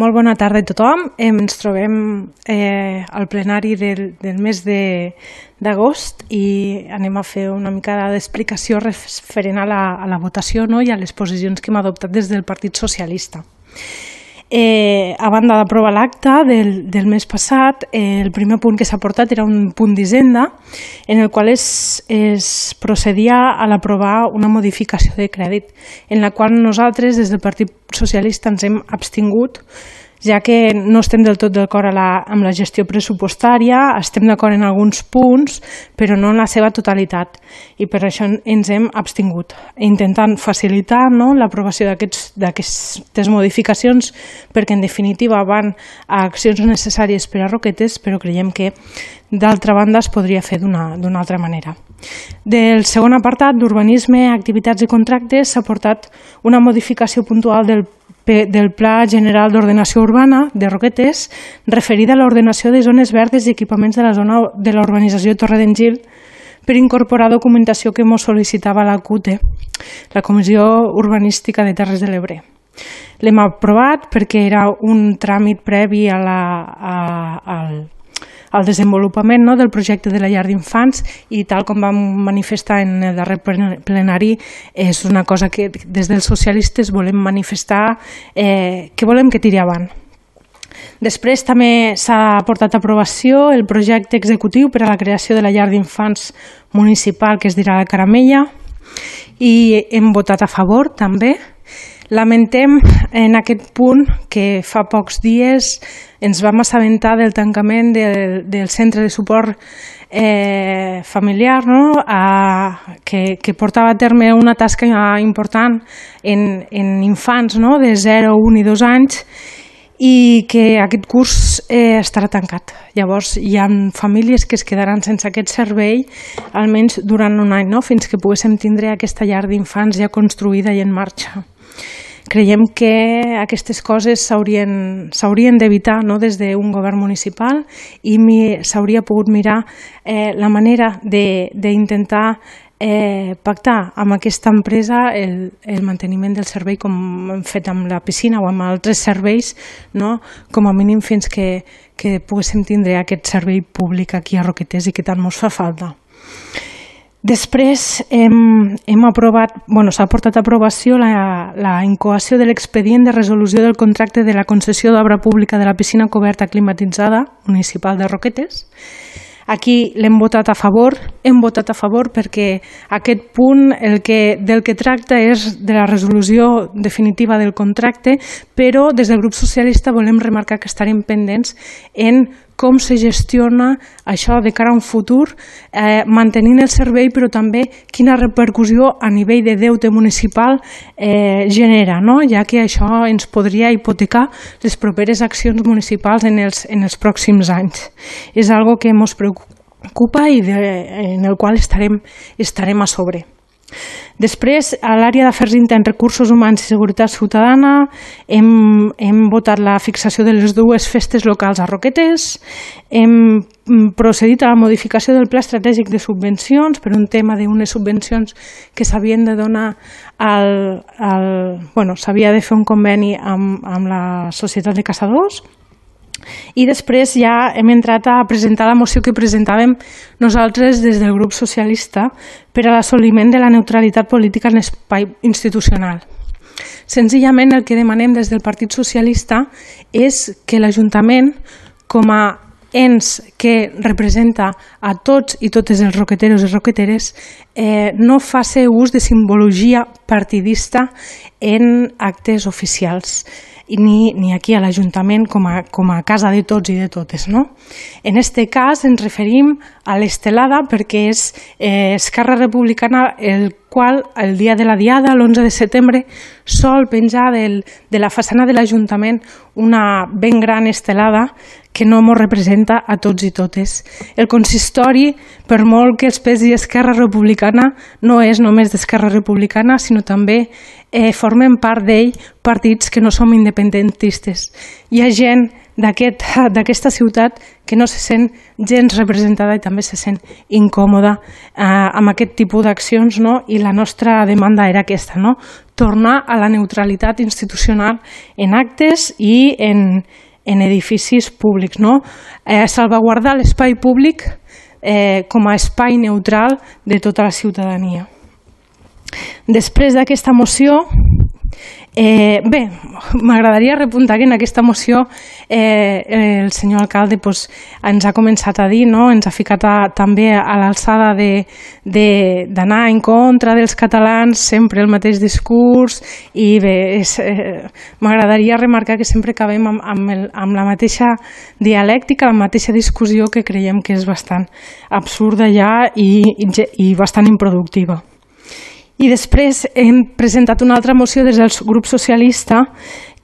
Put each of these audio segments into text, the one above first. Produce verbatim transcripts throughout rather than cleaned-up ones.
Molt bona tarda a tothom. Ens trobem eh, al plenari del, del mes d'agost i anem a fer una mica d'explicació referent a la, a la votació, no? I a les posicions que hem adoptat des del Partit Socialista. Eh, a banda d'aprovar l'acte del, del mes passat, eh, el primer punt que s'ha portat era un punt d'Hisenda en el qual es, es procedia a l'aprovar una modificació de crèdit en la qual nosaltres des del Partit Socialista ens hem abstingut, ja que no estem del tot d'acord amb la gestió pressupostària, estem d'acord en alguns punts, però no en la seva totalitat, i per això ens hem abstingut, intentant facilitar no, l'aprovació d'aquestes modificacions, perquè en definitiva van a accions necessàries per a Roquetes, però creiem que d'altra banda es podria fer d'una altra manera. Del segon apartat, d'urbanisme, activitats i contractes, s'ha portat una modificació puntual del del Pla General d'Ordenació Urbana de Roquetes referida a l'ordenació de zones verdes i equipaments de la zona de la urbanització Torre d'en Gil per incorporar documentació que ens sol·licitava la C U T E, la Comissió Urbanística de Terres de l'Ebre. L'hem aprovat perquè era un tràmit previ a la, a, al al desenvolupament no, del projecte de la llar d'infants i tal com vam manifestar en el darrer plenari és una cosa que des dels socialistes volem manifestar eh, que volem que tiri avant. Després també s'ha portat a aprovació el projecte executiu per a la creació de la llar d'infants municipal que es dirà la Caramella i hem votat a favor també. Lamentem en aquest punt que fa pocs dies ens vam assabentar del tancament del, del centre de suport eh, familiar no? a, que, que portava a terme una tasca important en, en infants no? de zero, un i dos anys i que aquest curs eh, estarà tancat. Llavors hi ha famílies que es quedaran sense aquest servei almenys durant un any, no? Fins que poguéssim tindre aquesta llar d'infants ja construïda i en marxa. Creiem que aquestes coses s'haurien d'evitar no? Des d'un govern municipal i s'hauria pogut mirar eh, la manera d'intentar eh, pactar amb aquesta empresa el, el manteniment del servei com hem fet amb la piscina o amb altres serveis, no? Com a mínim fins que, que poguéssim tindre aquest servei públic aquí a Roquetes i que tant ens fa falta. Després hem, hem aprovat, bueno, s'ha portat a aprovació la, la incoació de l'expedient de resolució del contracte de la concessió d'obra pública de la piscina coberta climatitzada municipal de Roquetes. Aquí l'hem votat a favor, hem votat a favor perquè aquest punt el que, del que tracta és de la resolució definitiva del contracte, però des del grup socialista volem remarcar que estarem pendents en com se gestiona això de cara a un futur, eh, mantenint el servei, però també quina repercussió a nivell de deute municipal eh, genera, no? Ja que això ens podria hipotecar les properes accions municipals en els, en els pròxims anys. És algo que ens preocupa i de, en el qual estarem, estarem a sobre. Després, a l'àrea d'afers interns, recursos humans i seguretat ciutadana, hem, hem votat la fixació de les dues festes locals a Roquetes, hem procedit a la modificació del pla estratègic de subvencions per un tema d'unes subvencions que s'havien de donar al... al bueno, s'havia de fer un conveni amb, amb la Societat de Caçadors. I després ja hem entrat a presentar la moció que presentàvem nosaltres des del grup socialista per a l'assoliment de la neutralitat política en l'espai institucional. Senzillament el que demanem des del Partit Socialista és que l'Ajuntament, com a ens que representa a tots i totes els roqueteros i roqueteres, eh, no faci ús de simbologia partidista en actes oficials. Ni, ni aquí a l'Ajuntament com, a, com a casa de tots i de totes. No? En aquest cas ens referim a l'estelada perquè és eh, Esquerra Republicana el qual el dia de la Diada, l'onze de setembre, sol penjar del, de la façana de l'Ajuntament una ben gran estelada que no ens representa a tots i totes. El consistori, per molt que es pesi Esquerra Republicana, no és només d'Esquerra Republicana, sinó també eh, formen part d'ell partits que no som independentistes. Hi ha gent d'aquesta ciutat que no se sent gens representada i també se sent incòmoda eh, amb aquest tipus d'accions, no? I la nostra demanda era aquesta, no? Tornar a la neutralitat institucional en actes i en, en edificis públics, no? Eh, salvaguardar l'espai públic eh, com a espai neutral de tota la ciutadania. Després d'aquesta moció, eh, bé, m'agradaria repuntar que en aquesta moció eh, el senyor alcalde pues, ens ha començat a dir, no? Ens ha ficat a, també a l'alçada d'anar en contra dels catalans, sempre el mateix discurs, i bé, eh, m'agradaria remarcar que sempre acabem amb, amb, el, amb la mateixa dialèctica, la mateixa discussió, que creiem que és bastant absurda ja i, i, i bastant improductiva. I després hem presentat una altra moció des del grup socialista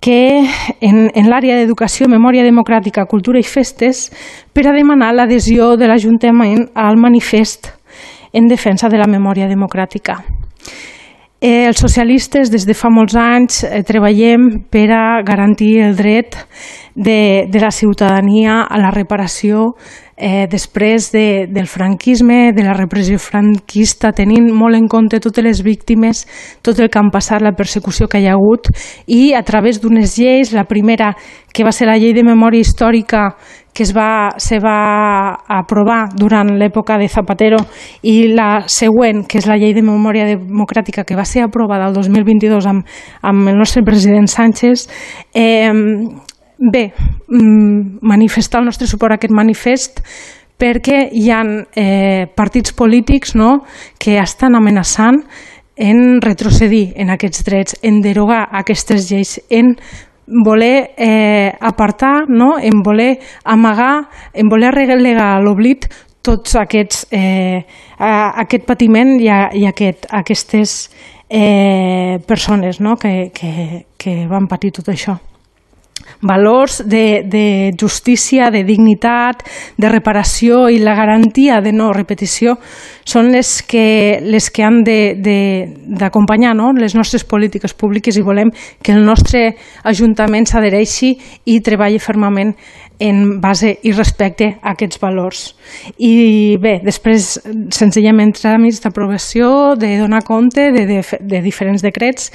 que en, en l'àrea d'educació, memòria democràtica, cultura i festes, per a demanar l'adhesió de l'Ajuntament al manifest en defensa de la memòria democràtica. Eh, els socialistes des de fa molts anys eh, treballem per a garantir el dret de, de la ciutadania a la reparació eh, després de, del franquisme, de la repressió franquista, tenint molt en compte totes les víctimes, tot el que han passat, la persecució que hi ha hagut, i a través d'unes lleis, la primera que va ser la llei de memòria històrica que es va, se va aprovar durant l'època de Zapatero, i la següent, que és la llei de memòria democràtica, que va ser aprovada el dos mil vint-i-dos amb, amb el nostre president Sánchez. Eh, bé, manifestar el nostre suport a aquest manifest perquè hi ha eh, partits polítics, no?, que estan amenaçant en retrocedir en aquests drets, en derogar aquestes lleis, en voler eh, apartar, no? En voler amagar, en voler relegar a l'oblit tots aquests, eh, aquest patiment i, a, i aquest, aquestes eh, persones, no? que, que, que van patir tot això. Valors de, de justícia, de dignitat, de reparació i la garantia de no repetició són les que, les que han d'acompanyar, no?, les nostres polítiques públiques, i volem que el nostre Ajuntament s'adhereixi i treballi fermament en base i respecte a aquests valors. I bé, després, senzillament, tràmits d'aprovació, de donar compte de, de, de diferents decrets,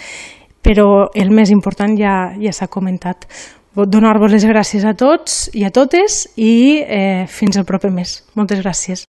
però el més important ja, ja s'ha comentat. Donar-vos les gràcies a tots i a totes i eh, fins al proper mes. Moltes gràcies.